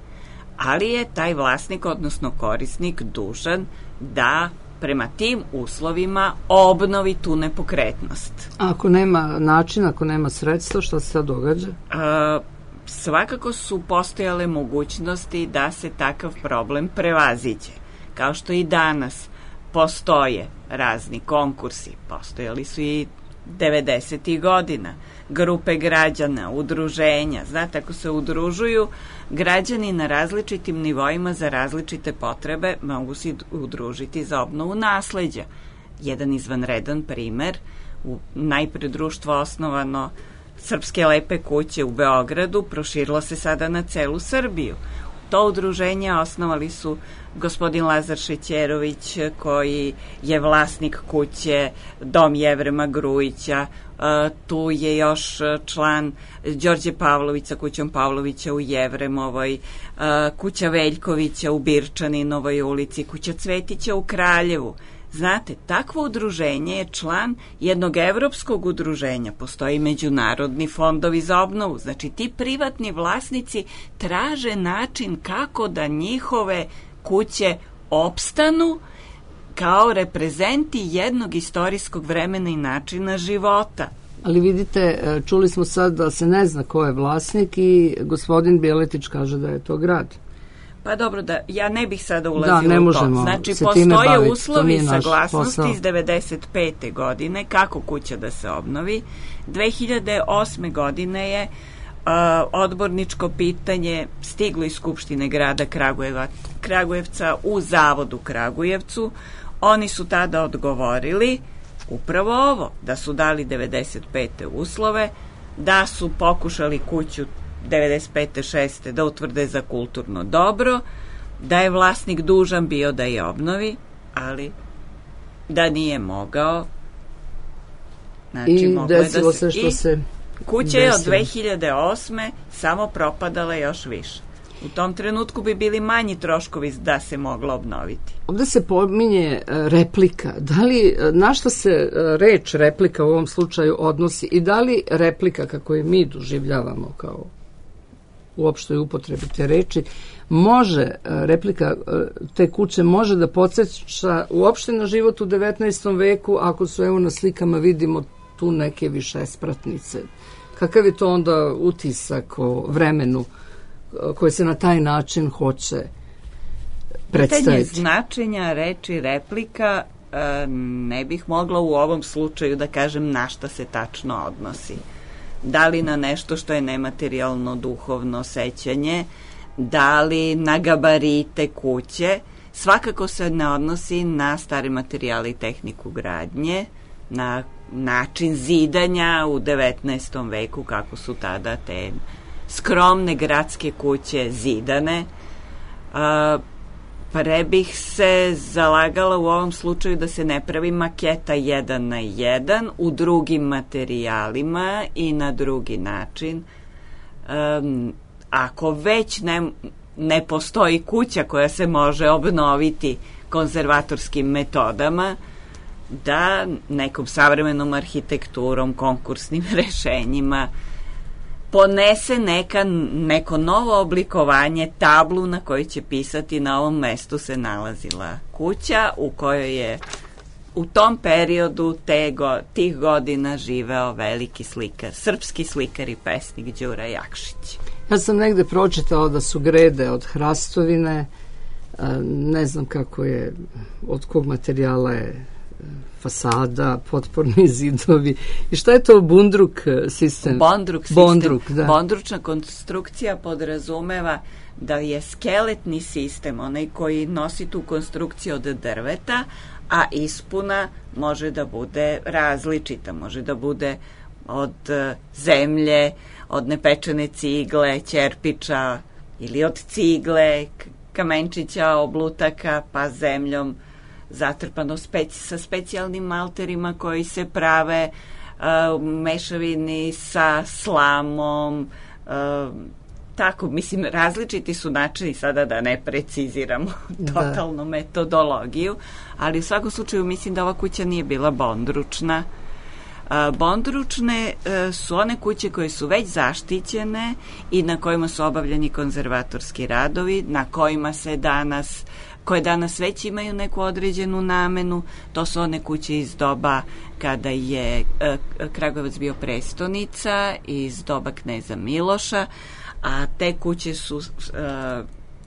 ali je taj vlasnik, odnosno korisnik, dužan da prema tim uslovima obnovi tu nepokretnost. Ako nema načina, ako nema sredstva, šta se sad događa? A, svakako su postojale mogućnosti da se takav problem prevaziđe. Kao što i danas postoje razni konkursi, postojali su i devedesetih godina, grupe građana, udruženja. Znate, ako se udružuju građani na različitim nivoima za različite potrebe, mogu se udružiti za obnovu nasleđa. Jedan izvanredan primer, u najpre društvo osnovano Srpske lepe kuće u Beogradu proširilo se sada na celu Srbiju. To udruženje osnovali su gospodin Lazar Šećerović, koji je vlasnik kuće Dom Jevrema Grujića. Uh, tu je još član Đorđe Pavlović sa kućom Pavlovića u Jevremovoj, uh, kuća Veljkovića u Birčaninovoj ulici, kuća Cvetića u Kraljevu. Znate, takvo udruženje je član jednog evropskog udruženja. Postoji međunarodni fondovi za obnovu. Znači, ti privatni vlasnici traže način kako da njihove kuće opstanu kao reprezenti jednog istorijskog vremena i načina života. Ali vidite, čuli smo sad da se ne zna ko je vlasnik i gospodin Bjeletić kaže da je to grad. Pa dobro, da ja ne bih sada ulazila da, ne u to. Znači, postoje uslovi saglasnosti iz devedeset pete. godine kako kuća da se obnovi. dve hiljade osme. godine je uh, odborničko pitanje stiglo iz Skupštine grada Kragujeva, Kragujevca u Zavodu Kragujevcu. Oni su tada odgovorili upravo ovo, da su dali devedeset pete. uslove, da su pokušali kuću devedeset pete šeste. da utvrde za kulturno dobro, da je vlasnik dužan bio da je obnovi, ali da nije mogao. Znači, i desilo se što i se kuća je od dve hiljade osme. samo propadala još više. U tom trenutku bi bili manji troškovi da se moglo obnoviti. Ovde se pominje e, replika. Da li, e, na šta se e, reč replika u ovom slučaju odnosi i da li replika, kako je mi doživljavamo kao u opštoj upotrebi te reči, može, e, replika e, te kuće može da podsjeća uopšte na život u devetnaestom veku, ako su, evo na slikama vidimo tu neke višespratnice. Kakav je to onda utisak o vremenu koje se na taj način hoće predstaviti? Pitanje značenja reči replika e, ne bih mogla u ovom slučaju da kažem na šta se tačno odnosi. Da li na nešto što je nematerijalno duhovno sećanje, da li na gabarite kuće, svakako se ne odnosi na stare materijale i tehniku gradnje, na način zidanja u devetnaestom veku, kako su tada te skromne gradske kuće zidane. A, pre bih se zalagala u ovom slučaju da se ne pravi maketa jedan na jedan u drugim materijalima i na drugi način. Um, ako već ne, ne postoji kuća koja se može obnoviti konzervatorskim metodama, da nekom savremenom arhitekturom, konkursnim rešenjima ponese neka, neko novo oblikovanje, tablu na kojoj će pisati na ovom mestu se nalazila kuća u kojoj je u tom periodu te go, tih godina živeo veliki slikar, srpski slikar i pesnik Đura Jakšić. Ja sam negde pročitao da su grede od hrastovine, ne znam kako je, od kog materijala je fasada, potporni zidovi. I šta je to bundruk sistem? Bondruk sistem. Bondruk, da. Bondručna konstrukcija podrazumeva da je skeletni sistem, onaj koji nosi tu konstrukciju od drveta, a ispuna može da bude različita, može da bude od zemlje, od nepečene cigle, ćerpiča ili od cigle, kamenčića, oblutaka, pa zemljom zatrpano speci, sa specijalnim malterima koji se prave uh, mešavini sa slamom, uh, tako, mislim, različiti su načini, sada da ne preciziramo totalnu da. metodologiju, ali u svakom slučaju mislim da ova kuća nije bila bondručna. Uh, bondručne uh, su one kuće koje su već zaštićene i na kojima su obavljeni konzervatorski radovi, na kojima se danas koje danas već imaju neku određenu namenu. To su one kuće iz doba kada je e, Kragujevac bio prestonica, iz doba kneza Miloša, a te kuće su e,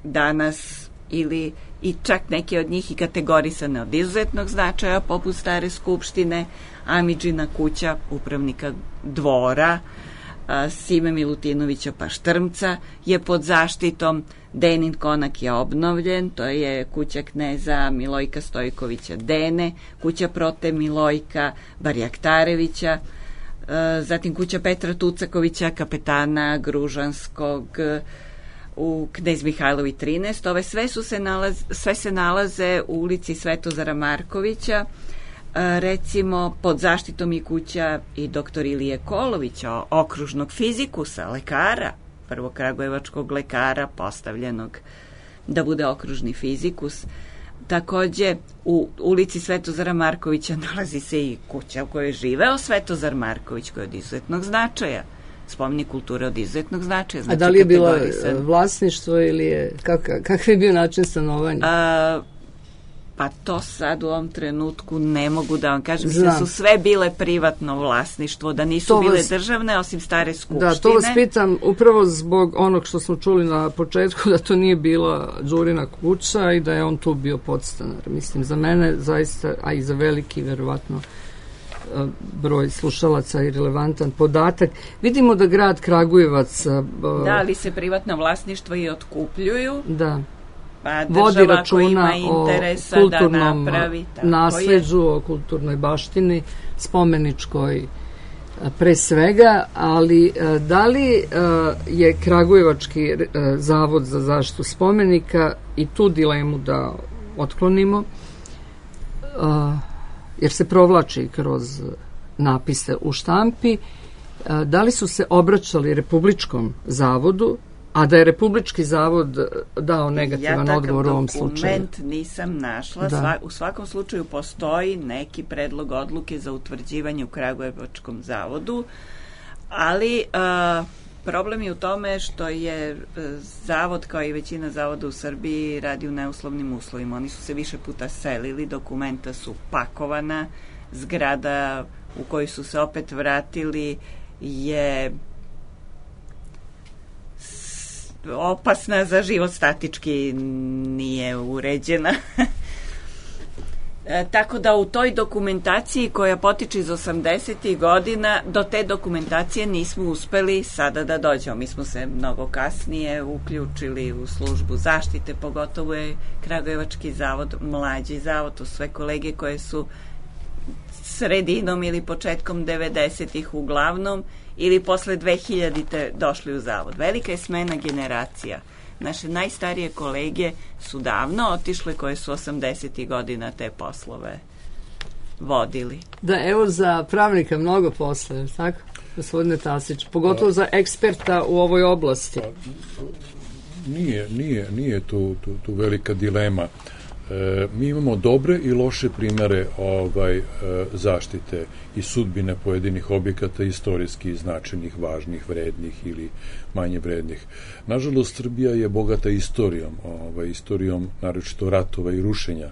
danas ili i čak neke od njih i kategorisane od izuzetnog značaja, poput Stare skupštine, Amidžina kuća, upravnika dvora, a, Sime Milutinovića Paštrmca je pod zaštitom. Denin konak je obnovljen, to je kuća kneza Milojka Stojkovića Dene, kuća prote Milojka Barjaktarevića, zatim kuća Petra Tucakovića, kapetana Gružanskog u Knez Mihajlovi trinaest. Ove sve, su se nalaze, sve se nalaze u ulici Svetozara Markovića, recimo pod zaštitom i kuća i doktor Ilije Kolovića, okružnog fizikusa, lekara, prvog kragujevačkog lekara postavljenog da bude okružni fizikus. Takođe, u ulici Svetozara Markovića nalazi se i kuća u kojoj je živeo Svetozar Marković, koja je od izuzetnog značaja. Spomenik kulture od izuzetnog značaja. Znači, a da li je bilo vlasništvo ili je, kak, kakav je bio način stanovanja? A, pa to sad u ovom trenutku ne mogu da vam kažem. Znam. Da su sve bile privatno vlasništvo, da nisu to bile vas, državne, osim Stare skupštine. Da, to vas pitam upravo zbog onog što smo čuli na početku, da to nije bila Đurina kuća i da je on tu bio podstanar. Mislim, za mene zaista, a i za veliki, verovatno, broj slušalaca i relevantan podatak. Vidimo da grad Kragujevac... Da, ali se privatna vlasništva i otkupljuju. Da. Pa vodi računa o kulturnom da napravi, nasleđu, o kulturnoj baštini, spomeničkoj pre svega, ali da li je Kragujevački zavod za zaštitu spomenika i tu dilemu da otklonimo, jer se provlači kroz napise u štampi, da li su se obraćali Republičkom zavodu A da je Republički zavod dao negativan ja odgovor u ovom slučaju? Ja takav dokument nisam našla. Sva, u svakom slučaju postoji neki predlog odluke za utvrđivanje u Kragujevačkom zavodu, ali a, problem je u tome što je zavod, kao i većina zavoda u Srbiji, radi u neuslovnim uslovima. Oni su se više puta selili, dokumenta su pakovana, zgrada u koju su se opet vratili je opasna za život, statički nije uređena. E, tako da u toj dokumentaciji koja potiče iz osamdesetih godina, do te dokumentacije nismo uspeli sada da dođemo. Mi smo se mnogo kasnije uključili u službu zaštite, pogotovo je Kragujevački zavod mlađi zavod, to sve kolege koje su sredinom ili početkom devedesetih uglavnom ili posle dve hiljadite došli u zavod. Velika je smena generacija. Naše najstarije kolege su davno otišle, koje su osamdesetih godina te poslove vodili. Da, evo za pravnika mnogo posla, je tako, gospodine Tasić? Pogotovo za eksperta u ovoj oblasti. Nije, nije, nije tu, tu, tu velika dilema. E, mi imamo dobre i loše primere ovaj, e, zaštite i sudbine pojedinih objekata, istorijski značajnih, važnih, vrednih ili manje vrednih. Nažalost, Srbija je bogata istorijom, ovaj, istorijom naročito ratova i rušenja.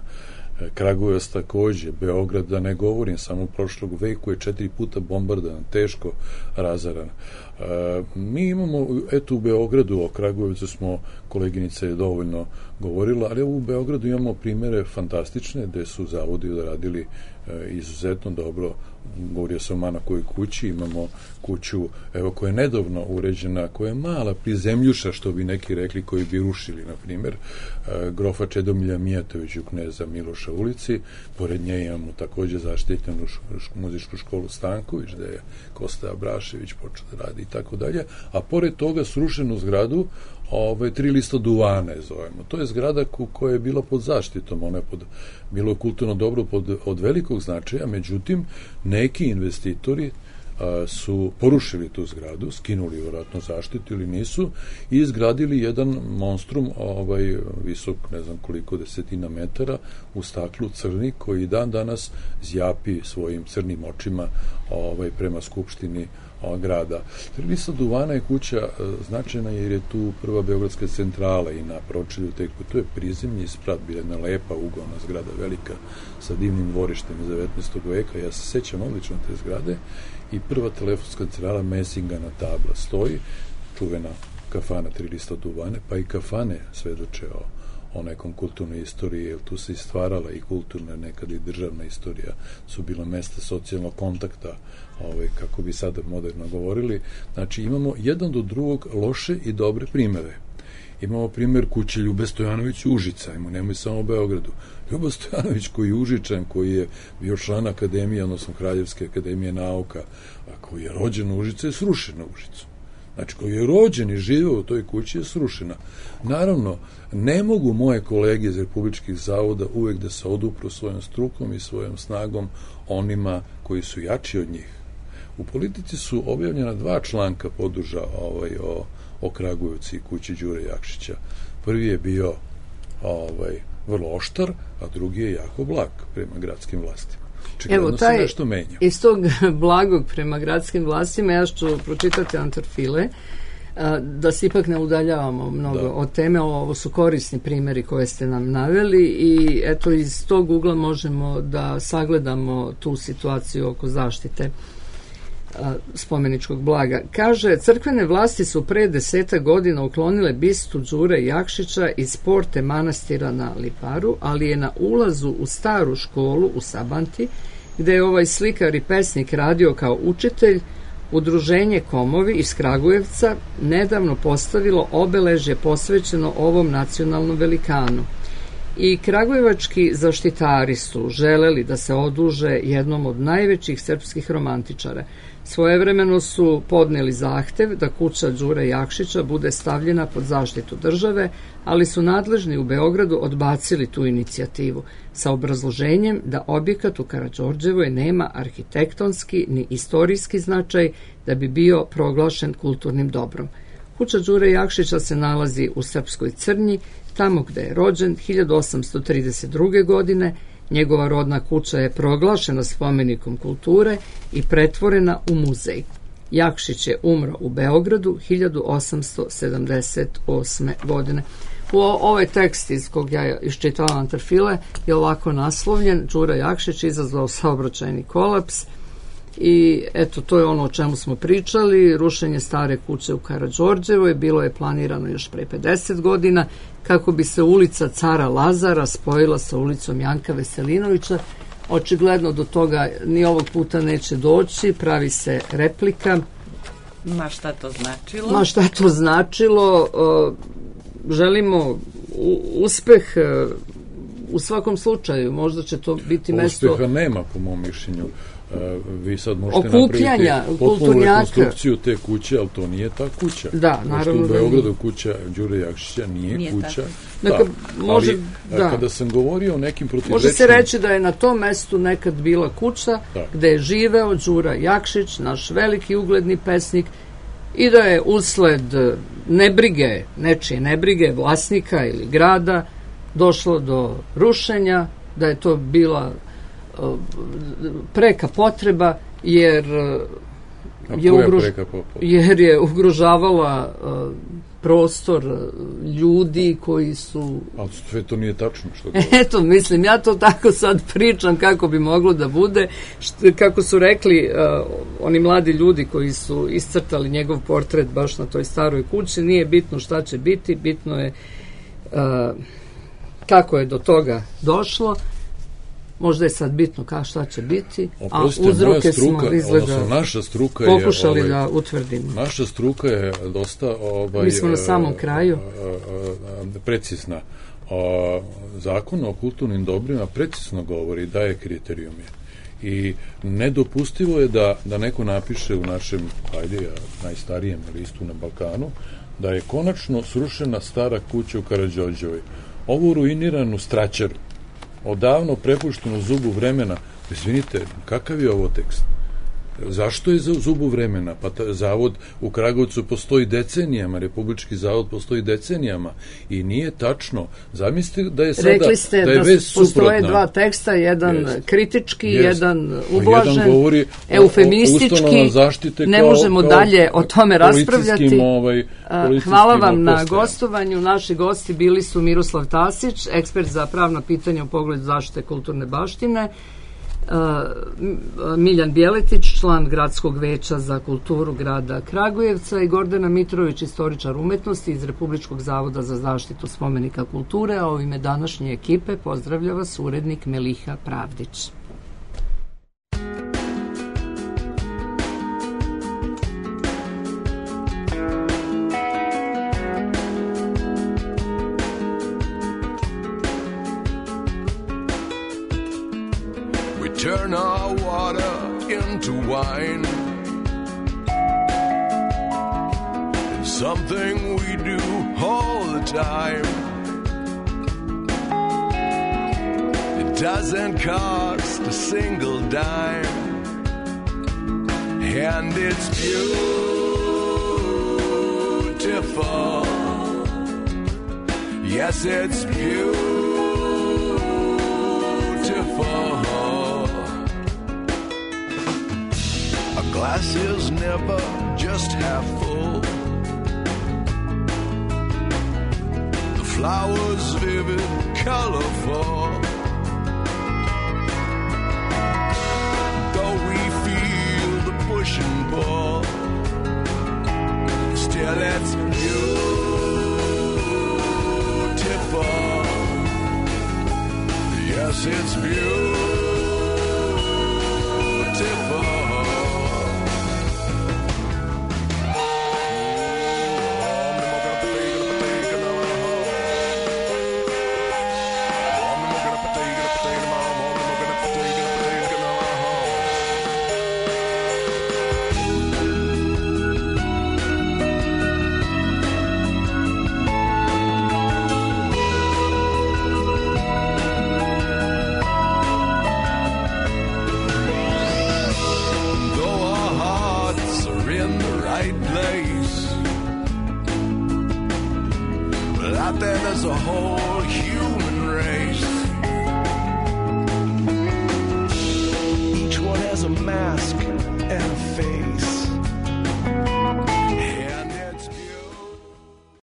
E, Kragujevac takođe, Beograd, da ne govorim, samo u prošlog veku je četiri puta bombardovan, teško razaran. E, mi imamo, eto u Beogradu, o Kragujevcu smo, koleginica je dovoljno govorila, ali u Beogradu imamo primere fantastične gde su zavodi radili e, izuzetno dobro. Govorio sam o Manakovoj kući, imamo kuću evo koja je nedavno uređena, koja je mala prizemljuša, što bi neki rekli, koji bi rušili, na primjer, e, grofa Čedomilja Mijatovića u Kneza Miloša ulici. Pored nje imamo takođe zaštitenu muzičku školu Stanković, gde je Kosta Abrašević počeo da radi i tako dalje, a pored toga srušenu zgradu Ove, tri lista duvane zovemo. To je zgrada koja je bila pod zaštitom, ona je pod, bilo je kulturno dobro pod, od velikog značaja, međutim, neki investitori a, su porušili tu zgradu, skinuli vjerojatno zaštitu ili nisu i izgradili jedan monstrum ovaj, visok, ne znam koliko desetina metara, u staklu crni, koji dan danas zjapi svojim crnim očima ovaj, prema skupštini grada. Lista duvana je kuća značajna jer je tu prva beogradska centrala i na pročelju te kuće. To je prizemni sprat, bila jedna lepa uglavna zgrada, velika, sa divnim dvorištem iz devetnaestog veka. Ja se sećam odlično te zgrade i prva telefonska centrala Messingana tabla stoji, čuvena kafana Tri lista duvane, pa i kafane svedoče o o nekom kulturnoj istoriji, jer tu se istvarala i kulturna, nekada i državna istorija, su bila mesta socijalnog kontakta, ovaj, kako bi sada moderno govorili. Znači, imamo jedan do drugog loše i dobre primere. Imamo primer kuće Ljube Stojanović Užica, imamo, nemoj samo u Beogradu. Ljubo Stojanović, koji je Užičan, koji je bio član akademije, odnosno Kraljevske akademije nauka, a koji je rođen u Užicu, je srušen na Užicu. Znači, koji je rođen i živeo u toj kući, je srušena. Naravno, ne mogu moje kolege iz Republičkih zavoda uvek da se odupru svojom strukom i svojom snagom onima koji su jači od njih. U Politici su objavljena dva članka poduža ovaj, o, o Kragujevcu i kući Đure Jakšića. Prvi je bio ovaj, vrlo oštar, a drugi je jako blag prema gradskim vlastima. Evo, taj, iz tog blagog prema gradskim vlastima, ja ću pročitati Antarfile, da se ipak ne udaljavamo mnogo da. od teme. Ovo su korisni primjeri koje ste nam naveli i eto, iz tog ugla možemo da sagledamo tu situaciju oko zaštite spomeničkog blaga. Kaže, crkvene vlasti su pre deseta godina uklonile bistu Đure Jakšića iz porte manastira na Liparu, ali je na ulazu u staru školu u Sabanti, gde je ovaj slikar i pesnik radio kao učitelj, Udruženje Komovi iz Kragujevca nedavno postavilo obeležje posvećeno ovom nacionalnom velikanu. I kragujevački zaštitari su želeli da se oduže jednom od najvećih srpskih romantičara. Svojevremeno su podneli zahtev da kuća Đure Jakšića bude stavljena pod zaštitu države, ali su nadležni u Beogradu odbacili tu inicijativu sa obrazloženjem da objekat u Karađorđevoj nema arhitektonski ni istorijski značaj da bi bio proglašen kulturnim dobrom. Kuća Đure Jakšića se nalazi u Srpskoj Crnji, tamo gde je rođen hiljadu osamsto trideset druge. godine. Njegova rodna kuća je proglašena spomenikom kulture i pretvorena u muzej. Jakšić je umro u Beogradu hiljadu osamsto sedamdeset osme. godine. U ovaj tekst iz kog ja iščitavam Antarfile je ovako naslovljen: Đura Jakšić izazvao saobraćajni kolaps. I eto, to je ono o čemu smo pričali. Rušenje stare kuće u Karađorđevoj bilo je planirano još pre pedeset godina kako bi se ulica Cara Lazara spojila sa ulicom Janka Veselinovića. Očigledno do toga ni ovog puta neće doći, pravi se replika. Ma šta to značilo? Ma šta to značilo? Želimo uspeh u svakom slučaju. Možda će to biti mesto... Uspeha nema, po mom mišljenju. Vi sad možete okupljanja napraviti potpunu rekonstrukciju te kuće, ali to nije ta kuća. Da, naravno. Što u Beogradu kuća Đure Jakšića nije, nije kuća. Dakle, da, može, ali da. Kada sam govorio o nekim protivrečnim... Može se reći da je na tom mestu nekad bila kuća da. gde je živeo Đura Jakšić, naš veliki ugledni pesnik, i da je usled nebrige, nečije nebrige, vlasnika ili grada, došlo do rušenja, da je to bila preka potreba, jer je, ugruž... jer je ugrožavala uh, prostor ljudi koji su... Ali sve to nije tačno što Eto, mislim, ja to tako sad pričam kako bi moglo da bude. Što, kako su rekli uh, oni mladi ljudi koji su iscrtali njegov portret baš na toj staroj kući, nije bitno šta će biti, bitno je uh, kako je do toga došlo. Možda je sad bitno kao šta će biti, Oprostite, a uzroke struka, smo izgleda naša struka pokušali je, ovaj, da utvrdimo. Naša struka je dosta... Ovaj, Mi smo na samom kraju. Precizna. O, zakon o kulturnim dobrima precizno govori, daje kriterijume. I nedopustivo je da, da neko napiše u našem, ajde, najstarijem listu na Balkanu, da je konačno srušena stara kuća u Karađorđevoj. Ovu ruiniranu straćaru, odavno prepušteno zubu vremena. Izvinite, kakav je ovo tekst? Zašto je za zubu vremena? Pa ta, zavod u Kragujevcu postoji decenijama, Republički zavod postoji decenijama i nije tačno. Zamislite da je sada... Rekli ste da, je da postoje suprotna. Dva teksta, jedan jest, kritički, jest. jedan ublažen, jedan govori eufemistički, ne kao, možemo kao dalje o tome raspravljati. Ovaj, Hvala vam na gostovanju. Naši gosti bili su Miroslav Tasić, ekspert za pravna pitanja u pogledu zaštite kulturne baštine, Miljan Bjeletić, član Gradskog veća za kulturu grada Kragujevca, i Gordana Mitrović, istoričar umetnosti iz Republičkog zavoda za zaštitu spomenika kulture, a u ime današnje ekipe pozdravlja vas urednik Meliha Pravdić. Turn our water into wine. It's something we do all the time. It doesn't cost a single dime, and it's beautiful. Yes, it's beautiful. Glass is never just half full. The flowers vivid, colorful. Though we feel the push and pull, still it's beautiful. Yes, it's beautiful. Out there, there's a whole human race. Each one has a mask